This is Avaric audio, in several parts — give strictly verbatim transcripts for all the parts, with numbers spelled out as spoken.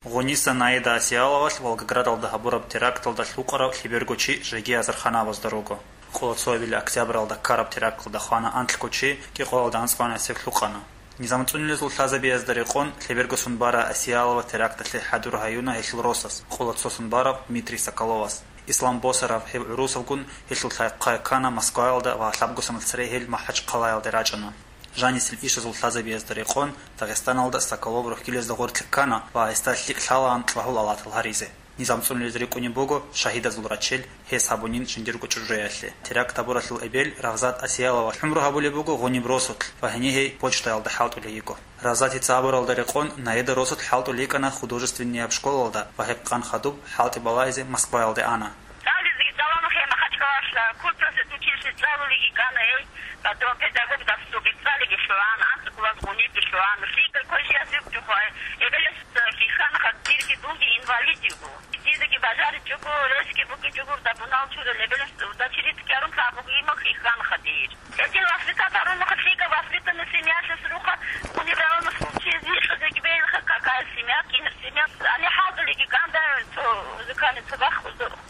Гъуниса Наида Асияловалъ Волгоградалда гьабураб теракталда лъукъарав лъеберго чи жеги азарханабазда руго. Къолоцоябилеб октябралда ккараб теракталда хвана анлъго чи, кӀикъоялда анцӀгоялдаса лъукъана. Низамцунилазул лъазабиязда рекъон лъеберго сон бара Асиялова теракталъе хӀадур гьаюна гьелъул росас, къолоцо сон барав Дмитрий Соколовас. Ислам Босарав гьев гӀурусавгун гьелъул лъай-хъай ккана Москваялда ва лъабго соналъ цере гьел МахӀачхъалаялде рачӀана. Жанисел ишазул лъазабиязда рекъон Дагъистаналда Соколов рохьилезда гъорлъе ккана ва гьесда лъикӀ лъалаан лъагьул-алатал гьаризе. Низамцунилез рикӀкӀунеб буго шагьидазул рачел гьес гьабунин жиндирго чӀужуялъе. Теракт гьабуралъул эбел Равзат Асиялова хӀумру гьабулеб буго гъуниб росулъ ва гьенир гьей почтаялда хӀалтӀулей йиго. Равзатица абуралда рекъон Наида росулъ хӀалтӀулей йикӀана художественнияб школалда ва гьеб къан хадуб хӀалтӀи балагьизе Москваялде ана. ЦӀализеги цӀалана гьей Махачкалалъ, культпросветучилищее цӀалулеги кӀана гьей, потом педагог дасулги цӀалиги лъугьана, анцӀго класс гъунибги лъугьана, лъикӀа квешиялъ вукӀчӀухъай, эбелалъ хихьана хадирги дунги инвалид йиго. Дидаги бажаричӀого, ресги букӀичӀого, дабунал чурал эбелалъ урдачи ритӀкӀарун лъабуги имал хихьана хадир. Гьедин воспитать гьарунухъа, лъикӀа воспитанный семьялъас руха, унибралана случай, зихъ дегбейилха, какая семья, кинаб семья. Ани хӀалтӀулеги кӀанда цо музыкальный цо бахъ,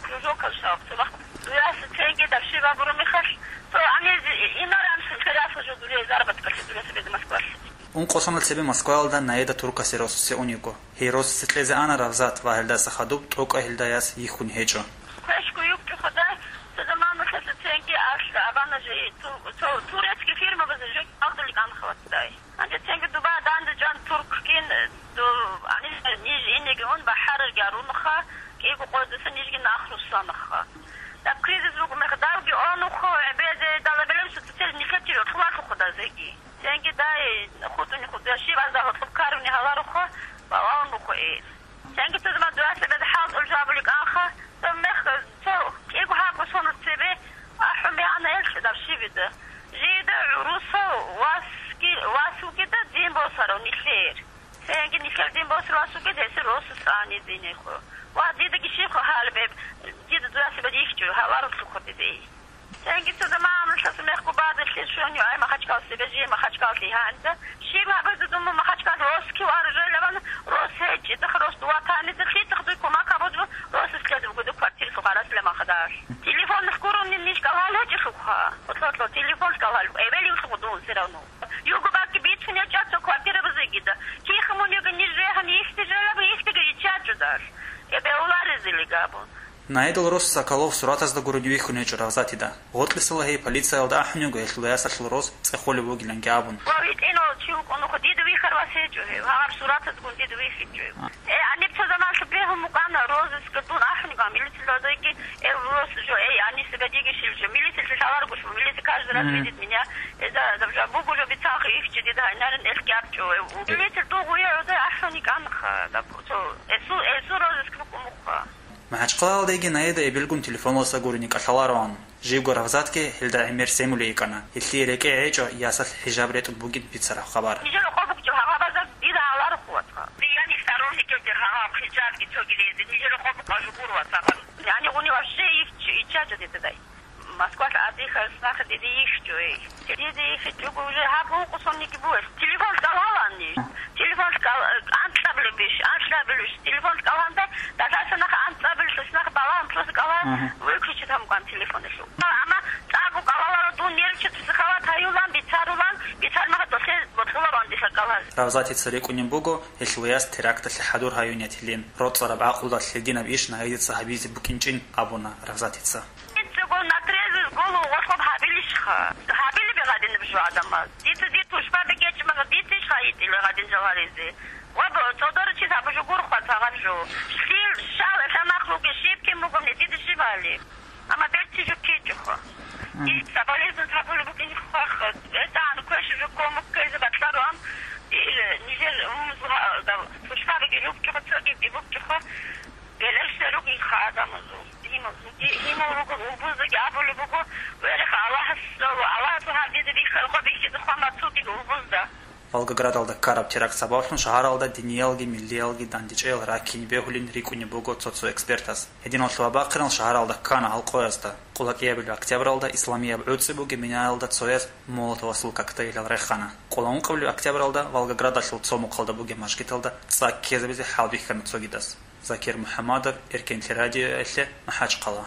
кружокал шаб, цо бахъ. Дуяса ценги дарши бабуру мехалъ, цо ани инаран шунфераса жо дуре заработкалъе дуре себе Москвалъе. Ункъо соналъ цебе Москваялда Наида туркасе росасе ун йиго. Гьей росасе кьезе ана Равзат ва гьелдаса хадуб тӀокӀаб гьелда яс йихьун гьечӀо. Квешго юкӀчӀухъа дай, цо заманалъ ценги архӀа абана жо, ту-, цо турецкий фирмабазе жо кӀалдулел кӀанха вацдай. Гьанже ценги дуба данде чӀван турккин, ду-, гьаниж ниж инеги ун бахӀарарги арунха, кӀиго къойдаса нижги нахрусанаха. Даб кризис руго мех давги онухъо, гӀебеде далабилеб суцицел нилъер чи рокьулалъухъо дазеги. Ценги дай хутӀуни хутӀа, щибазда гьоркьоб каруни гьаларухъа, балагьун бухъо ил. Ценги цо заман дугьалъа бедхӀал тӀолжабули кӀанха, цо мех, цо кӀиго гьабго соналъ цебе ахӀун бегьана ил чӀудаб щибида. Жида гӀурусав васги-, вас вугида дин босарав нилъер. Ценги нилъер дин босарав вас вугид гьесир росас ани динехъо. Ва дидаги щибха гьалбеб, дида дугьалъа бедихьчӀо, гьаларулъухъо диде. Цинги цо заманалъ мехго бадалъе щван югӀай Махачкал себе жие Махачкаллъи гьанже. Щиб гьабизе дума Махачкал росги варжелабан, рос гьечӀи, дах рос дува танизе лъитӀах дуй кумак гьабузбу, рос ислъезабгу ду квартиралъул гъараслъа махадалъ. Телефон гурони ниж кӀалгьал гьечӀелъулха. Отлъо-отлъо, телефон кӀалгьал, эбел юлъухъ дун все равно. Юго бакки бицун гьечӀа цо квартира бузегида. Кихъ мун юго ниж регьан ихти желаб, ихтиги ичачӀудалъ. Эбе уларизили габун. Наидал рос Соколов суратазда гурони вихьун гьечӀо Равзатида. Гъоркьисала гьей полициялда ахӀун йиго гьелъул ясалъул рос цӀехолев вугиланги абун. Ва витӀинал чи вукӀун нухъа дида вихьарвас гьечӀо гьев, гьаб суратазгун дида вихьичӀо гьев. Э, гьаниб цо заманалъ бегьун букӀана, розыскалда дун ахӀун йиго, милицияда дойги, э, рос жо, эй, гьаниса гадиги шил жо, милицияли лъаларгош, милиция каждый раз видит меня, э, да, да, жо, буго жо бицанха ихчи дида гьайнарин элъ гьабчӀо, э, у. Милиция дугъуя гӀода ахӀун йикӀанха, да, цо, эсу, эсу розыск букӀун мухъа. МахӀачхъалаялдеги Наида эбелгун телефоналдаса гурони кӀалъалароан. Живго Равзатги гьелда гӀемер семулей йикӀана. Гьелъие рекӀее гьечӀо ясалъ хӀижаб ретӀун бугин бицараб хабар. Нижер къо букӀа гьабазда дида гьаларухъ вацгъа. Яни сторонникелде гьаб хӀижабги цоги лезе. Нижер къо букӀа жугур вацгъа. Яни гъуни вообще их ичча жо дида дай. Москвалъ адихъа снахъ диде йихьчӀо, эй. Диде йихьичӀого уже гьаб гьукъу сонниги бугелъ. Телефон кӀалгьалани. Телефон кӀал-, анкьабилебищ, анкьабилебищ. Телефон кӀалгьанда, дагьаса нах анкьабилелъ снахъ балагьун лъуз кӀалгьа, выключить гьамукъан телефонелъул. Амма цӀакъго кӀалгьаларо дун нервчи психовать гьаюлан, бицарулан, бицармаха долъе бокьуларо андиса кӀалгьаз. Равзатица рикӀкӀунеб буго, гьелъул яс теракталъе хӀадур гьаюнин гьелин. РоцӀараб гӀакълуялъ гьединаб иш Наидица гьабизе букӀинчӀин абуна Равзатица. Дица гол на трезвую голову гъорлъ гьабилищха? Гьабилеб гьадинаб жо гӀадамаз. Дица дир тушбаби гечӀмага дицищха йитӀила гьадин жо гьаризе? Ва бо-, цӀодоричи гьаб жо гурхъа цагъаб жо. Лъил, щал, лъа махлуги щиб кин бугони дида щибали? Амма берци жо кичӀухъа. Дица болезнь гьабулеб букӀин хъвахъа. БетӀан квеш жо кумек ккезе батӀлароан, дир нижер умумузга-, да, тушбабиги рукӀчӀухъа, цогиги букӀчӀухъа. Гелешда ругелха гӀадамазул. Гьимал, гьимал ругел улбуздаги абулеб буго, вереха Аллагьас, Аллагьасул гьаб дида бихьарха бихьизехъа мацудил улбузда. Волгоградалда ккараб теракт сабаблъун шагьаралда диниялги миллиялги дандечӀел раккине бегьулин рикӀкӀунеб буго цо-цо экспертас. Гьединал лъугьа-бахъинал шагьаралда ккана гьалкъоязда. Къулакъи абилеб октябралда исламияб гӀуцӀи бугеб минаялда цояз молотовосул коктейлал рехана. Къуланукъабилеб октябралда Волгоградалъул цо мухъалда бугеб мажгиталда цӀа ккезабизе хӀалбихьана цогидас. Закир МухӀамадов, Эркенлъи радиоялъе, МахӀачхъала.